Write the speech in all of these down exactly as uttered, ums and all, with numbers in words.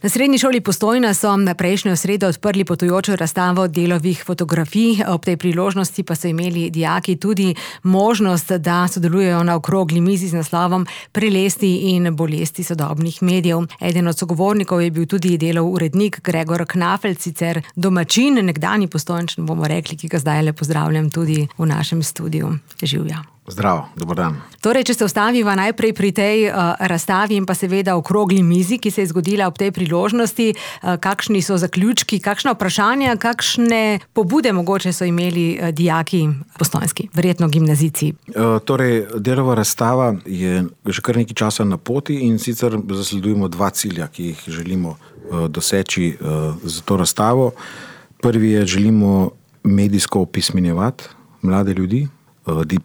Na Srednji šoli Postojna so na prejšnjo sredo odprli potujočo razstavo delovih fotografij. Ob tej priložnosti pa so imeli dijaki tudi možnost, da sodelujejo na okrogli mizi z naslovom Prelesti in bolesti sodobnih medijev. Eden od sogovornikov je bil tudi delov urednik Gregor Knafelc, sicer domačin, nekdanji Postojnčan, bomo rekli, ki ga zdaj le pozdravljam tudi v našem studiu. Živja. Zdravo, dober dan. Torej, če se ostaviva najprej pri tej uh, razstavi in pa seveda okrogli mizi, ki se je zgodila ob tej priložnosti, uh, kakšni so zaključki, kakšna vprašanja, kakšne pobude mogoče so imeli uh, dijaki postojnski, verjetno gimnazijci? Uh, torej, delova razstava je že kar nekaj časa na poti in sicer zasledujemo dva cilja, ki jih želimo uh, doseči uh, za to razstavo. Prvi je, želimo medijsko opismenjevati mlade ljudi,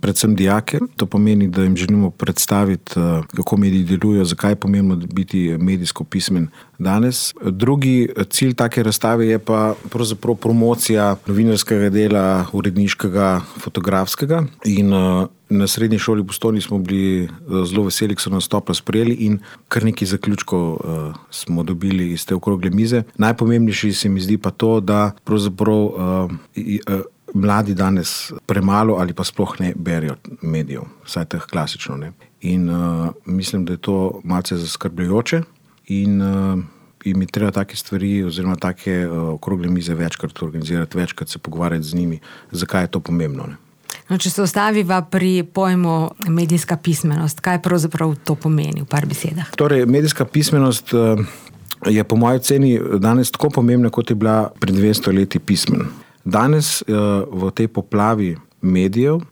predvsem dijake. To pomeni, da jim želimo predstaviti, kako mediji delujejo, zakaj je pomembno biti medijsko pismen danes. Drugi cilj take razstave je pa pravzaprav promocija novinarskega dela, uredniškega, fotografskega. In na Srednji šoli Postojni smo bili zelo veseli, ko so nas toplo sprejeli in kar nekaj zaključkov smo dobili iz te okrogle mize. Najpomembnejši se mi zdi pa to, da pravzaprav mladi danes premalo ali pa sploh ne berijo medijev, vsaj teh klasično, ne. In uh, mislim, da je to malce zaskrbljujoče in uh, jim je treba take stvari oziroma take uh, okrogle mize večkrat organizirati, večkrat se pogovarjati z njimi, zakaj je to pomembno, ne. No, če se ostaviva pri pojmu medijska pismenost, kaj pravzaprav to pomeni v par besedah? Torej, medijska pismenost uh, je po moji oceni danes tako pomembna, kot je bila pred dvesto leti pismen. Danes v tej poplavi medijev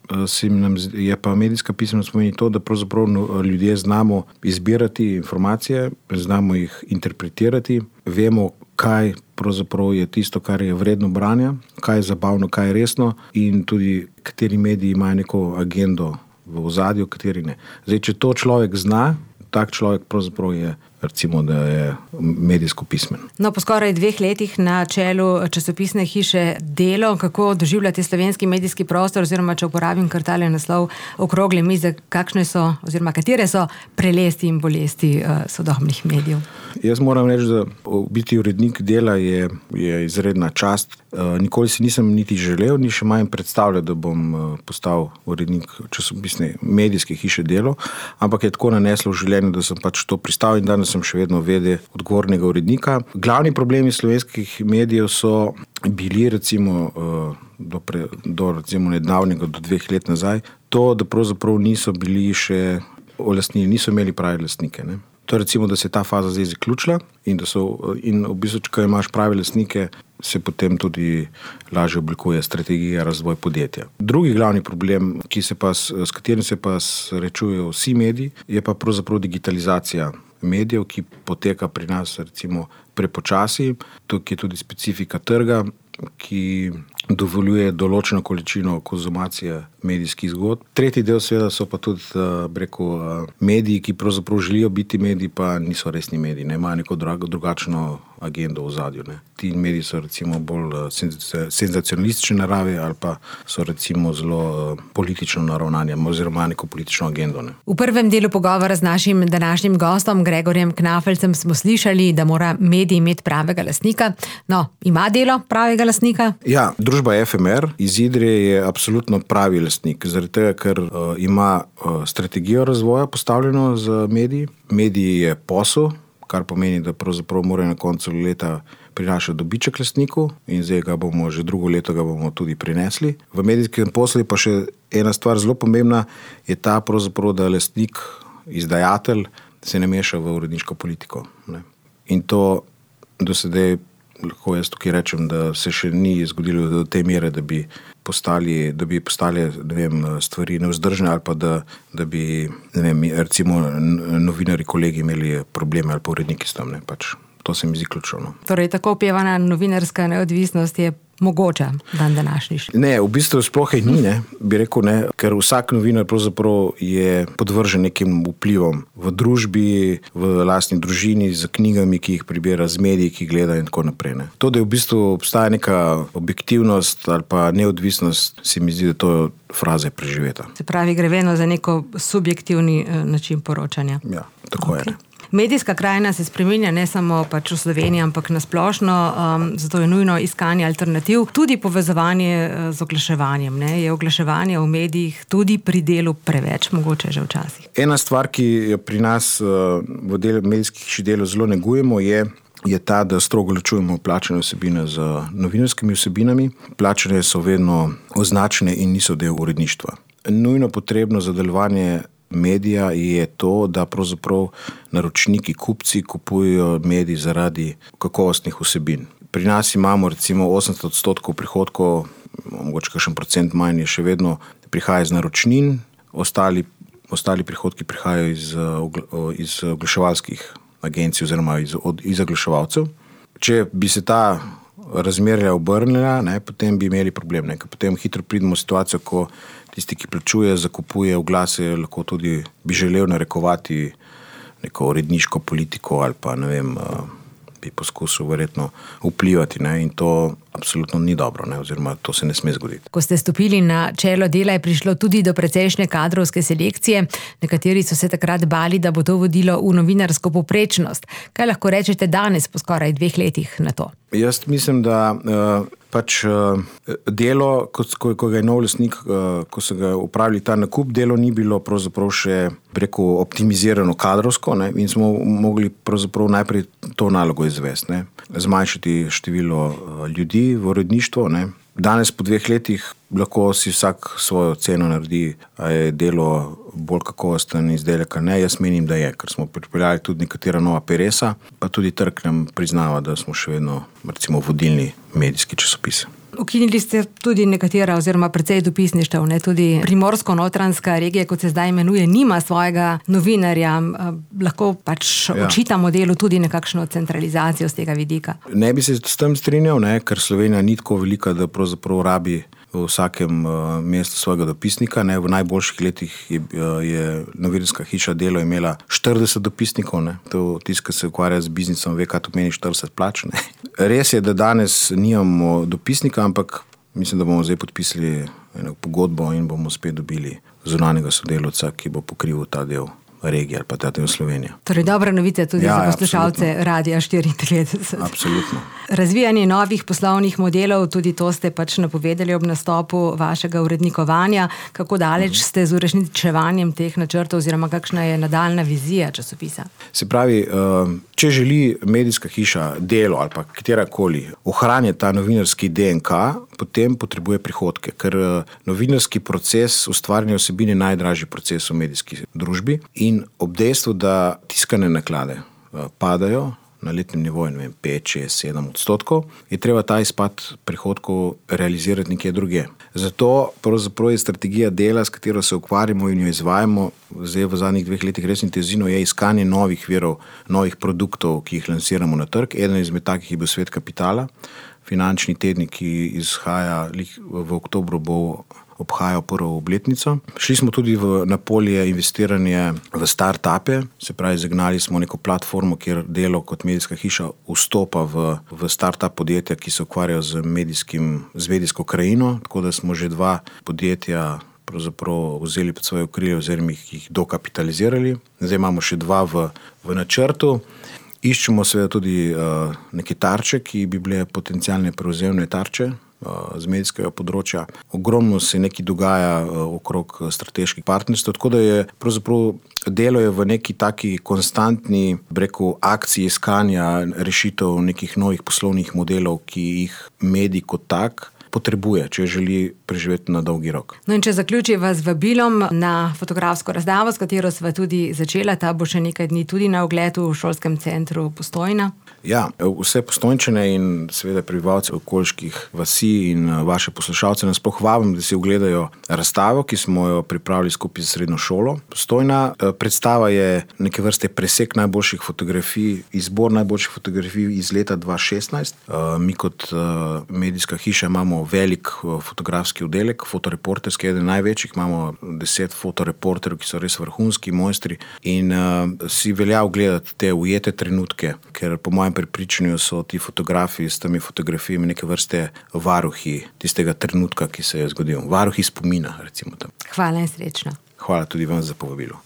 je pa medijska pismenost pomeni to, da pravzaprav ljudje znamo izbirati informacije, znamo jih interpretirati, vemo, kaj pravzaprav je tisto, kar je vredno branja, kaj je zabavno, kaj je resno in tudi kateri mediji imajo neko agendo v ozadju, kateri ne. Zdaj, če to človek zna, tak človek pravzaprav je, recimo, da je medijsko pismen. No, po skoraj dveh letih na čelu časopisne hiše Delo, kako doživljate slovenski medijski prostor, oziroma če uporabim kar tale naslov okrogle mize, kakšne so, oziroma katere so prelesti in bolesti uh, sodobnih medijev? Jaz moram reči, da biti urednik Dela je, je izredna čast. Uh, nikoli si nisem niti želel, ni še manj predstavljal, da bom uh, postal urednik časopisne medijske hiše Delo, ampak je tako naneslo v življenju, da sem pač to pristal in danes sem še vedno vede odgovornega urednika. Glavni problemi slovenskih medijev so bili recimo do, pre, do recimo nedavnega, do dveh let nazaj, to, da pravzaprav niso bili še olastnili, niso imeli pravi lastnike, ne. To je recimo, da se je ta faza zdaj zaključila in da so, in v bistvu, če imaš pravi lastnike, se potem tudi lažje oblikuje strategija razvoj podjetja. Drugi glavni problem, ki se pa, s katerim se pa srečujejo vsi mediji, je pa pravzaprav digitalizacija medijev, ki poteka pri nas recimo prepočasi. Tukaj je tudi specifika trga, ki dovoljuje določeno količino konzumacije medijskih zgodb. Tretji del seveda so pa tudi breko mediji, ki pravzaprav želijo biti mediji, pa niso resni mediji, ne, imajo neko drugačno agendo v zadju, ne. Ti mediji so recimo bolj senzacionalistične narave ali pa so recimo zelo politično naravnani oziroma neko politično agendo, ne. V prvem delu pogovora z našim današnjim gostom Gregorjem Knafelcem smo slišali, da mora medij imeti pravega lastnika. No, ima Delo pravega lastnika? Ja, družba F M R iz Idrije je absolutno pravi lastnik, zaradi tega, ker uh, ima uh, strategijo razvoja postavljeno z mediji. Mediji je posel, kar pomeni, da pravzaprav mora na koncu leta prinašati dobiček lastniku in zdaj ga bomo, že drugo leto ga bomo tudi prinesli. V medijskem poslu pa še ena stvar zelo pomembna, je ta pravzaprav, da lastnik, izdajatelj se ne meša v uredniško politiko, ne. In to do sedaj, lahko jaz tukaj rečem, da se še ni zgodilo do te mere, da bi postali, da bi postali, ne vem, stvari nevzdržne ali pa da, da bi, ne vem, recimo novinari, kolegi imeli probleme ali pa uredniki s tem, ne, pač. To se mi zdi ključno, no. Torej, tako opevana novinarska neodvisnost je mogoča dan današnji? Ne, v bistvu sploh je ni, ne, bi rekel, ne, ker vsak novinar pravzaprav je podvržen nekim vplivom v družbi, v lastni družini, z knjigami, ki jih prebira, z mediji, ki gleda in tako naprej, ne. To, da je v bistvu obstaja neka objektivnost ali pa neodvisnost, se mi zdi, da to fraza je preživeta. Se pravi, gre vedno za neko subjektivni način poročanja. Ja, tako okay. je. Medijska krajina se spreminja ne samo pač v Sloveniji, ampak na splošno, um, zato je nujno iskanje alternativ, tudi povezovanje z oglaševanjem. Ne? Je oglaševanje v medijih tudi pri delu preveč, mogoče že včasih? Ena stvar, ki jo pri nas uh, v delu medijskih hiš delo zelo negujemo, je je ta, da strogo ločujemo plačane vsebine z novinarskimi vsebinami. Plačane so vedno označene in niso del uredništva. Nujno potrebno za delovanje medija je to, da pravzaprav naročniki, kupci kupujejo medij zaradi kakovostnih vsebin. Pri nas imamo recimo osemdeset odstotkov prihodkov, mogoče kakšen procent manj je še vedno prihaja iz naročnin, ostali, ostali prihodki prihajajo iz, iz oglaševalskih agencij oziroma iz, od, iz oglaševalcev. Če bi se ta razmerja obrnila, ne, potem bi imeli problem. Ne, potem hitro pridemo v situacijo, ko tisti, ki plačuje, zakupuje oglase, lahko tudi bi želel narekovati neko uredniško politiko ali pa ne vem, bi poskusil verjetno vplivati, ne, in to absolutno ni dobro, ne, oziroma to se ne sme zgoditi. Ko ste stopili na čelo dela, je prišlo tudi do precejšnje kadrovske selekcije. Nekateri so se takrat bali, da bo to vodilo v novinarsko povprečnost. Kaj lahko rečete danes po skoraj dveh letih na to? Jaz mislim, da uh, pač uh, delo, ko, ko ga je nov lastnik, uh, ko so ga upravili ta nakup, delo ni bilo pravzaprav še preko optimizirano kadrovsko, ne, in smo mogli pravzaprav najprej to nalogo izvesti, ne, zmanjšati število uh, ljudi v uredništvu, ne. Danes po dveh letih lahko si vsak svojo ceno naredi, a je delo bolj kakovosten izdelek, ne. Jaz menim, da je, ker smo pripeljali tudi nekatera nova peresa, pa tudi trg nam priznava, da smo še vedno recimo vodilni medijski časopis. Ukinili ste tudi nekatera oziroma precej dopisništev, ne, tudi Primorsko-Notranjska regija, kot se zdaj imenuje, nima svojega novinarja. Lahko pač ja. očitamo delu tudi nekakšno centralizacijo z tega vidika. Ne bi se s tem strinjal, ne, ker Slovenija ni tako velika, da pravzaprav rabi v vsakem uh, mestu svojega dopisnika. Ne. V najboljših letih je, uh, je novinarska hiša Delo imela štirideset dopisnikov. Ne. To tisti, ki se ukvarja z biznisom, ve, kaj to meni štirideset plač. Ne. Res je, da danes nimamo dopisnika, ampak mislim, da bomo zdaj podpisali eno pogodbo in bomo spet dobili zunanjega sodelavca, ki bo pokrival ta del regije ali pa ta del Slovenije. Torej dobra novica tudi ja, za poslušalce Radia štiriintrideset. Absolutno. Razvijanje novih poslovnih modelov, tudi to ste pač napovedali ob nastopu vašega urednikovanja. Kako daleč mm. ste z uresničevanjem teh načrtov oziroma kakšna je nadaljna vizija časopisa? Se pravi, če želi medijska hiša Delo ali pa katerakoli ohranjati ta novinarski D N K, potem potrebuje prihodke, ker novinarski proces ustvarjanja vsebine je najdražji proces v medijski družbi in ob dejstvu, da tiskane naklade padajo na letnem nivoju, ne vem, pet, šest, sedem odstotkov, je treba ta izpad prihodkov realizirati nekje druge. Zato pravzaprav je strategija dela, s katero se ukvarjamo in jo izvajamo, zdaj v zadnjih dveh letih res intenzivno, je iskanje novih virov, novih produktov, ki jih lansiramo na trg. Eden izmed takih je bil Svet kapitala, finančni tednik, ki izhaja v oktobru, bo obhajal prvo obletnico. Šli smo tudi v, na polje investiranje v start-upe, se pravi, zagnali smo neko platformo, kjer Delo kot medijska hiša vstopa v, v start-up podjetja, ki se ukvarjajo z, medijskim, z medijsko krajino, tako da smo že dva podjetja pravzaprav vzeli pod svoje okrilje oziroma jih dokapitalizirali. Zdaj imamo še dva v, v načrtu. Iščemo seveda tudi uh, neke tarče, ki bi bile potencialne prevzemne tarče z medijskega področja. Ogromno se nekaj dogaja okrog strateških partnerstv, tako da je pravzaprav Delo je v neki taki konstantni, breku, akciji iskanja rešitev nekih novih poslovnih modelov, ki jih medij kot tak potrebuje, če želi preživeti na dolgi rok. No in če zaključiva z vabilom na fotografsko razstavo, s katero sva tudi začela, ta bo še nekaj dni tudi na ogled v šolskem centru Postojna. Ja, vse Postojnčane in seveda prebivalce okoliških vasi in vaše poslušalce nasploh vabim, da si ogledajo razstavo, ki smo jo pripravili skupaj z srednjo šolo Postojna. Predstava je neke vrste presek najboljših fotografij, izbor najboljših fotografij iz leta dva tisoč šestnajst. Mi kot medijska hiša imamo velik fotografski oddelek, fotoreporterski, eden največjih, imamo deset fotoreporterov, ki so res vrhunski mojstri in uh, si velja ogledati te ujete trenutke, ker po mojem prepričanju so ti fotografi s temi fotografijami neke vrste varuhi tistega trenutka, ki se je zgodil. Varuhi spomina, recimo tam. Hvala in srečno. Hvala tudi vam za povabilo.